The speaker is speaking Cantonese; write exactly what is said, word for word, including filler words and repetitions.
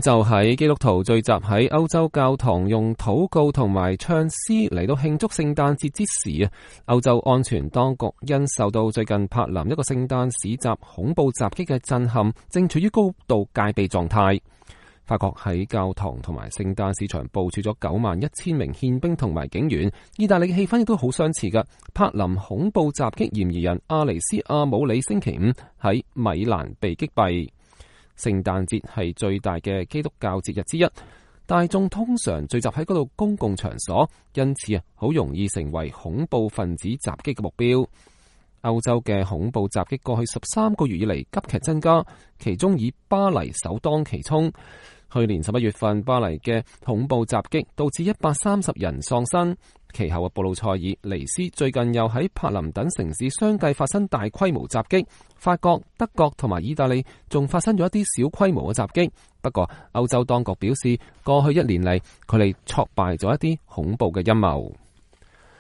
就喺基督徒聚集喺歐洲教堂用禱告同埋唱詩嚟到慶祝聖誕節之時啊，歐洲安全當局因受到最近柏林一個聖誕市集恐怖襲擊嘅震撼，正處於高度戒備狀態。法國喺教堂同埋聖誕市場部署咗九萬一千名憲兵同埋警員。意大利嘅氣氛亦都好相似㗎。柏林恐怖襲擊嫌疑人阿尼斯阿姆里星期五喺米蘭被擊斃。聖誕節係最大嘅基督教節日之一，大眾通常聚集喺嗰度公共場所，因此啊，好容易成為恐怖分子襲擊嘅目標。歐洲嘅恐怖襲擊過去十三個月以嚟急劇增加，其中以巴黎首當其衝。去年十一月份，巴黎嘅恐怖襲擊導致一百三十人喪生。其後嘅布魯塞爾、尼斯最近又喺柏林等城市相繼發生大規模襲擊。法國、德國同埋意大利仲發生咗一啲小規模嘅襲擊。不過，歐洲當局表示，過去一年嚟，佢哋挫敗咗一啲恐怖嘅陰謀。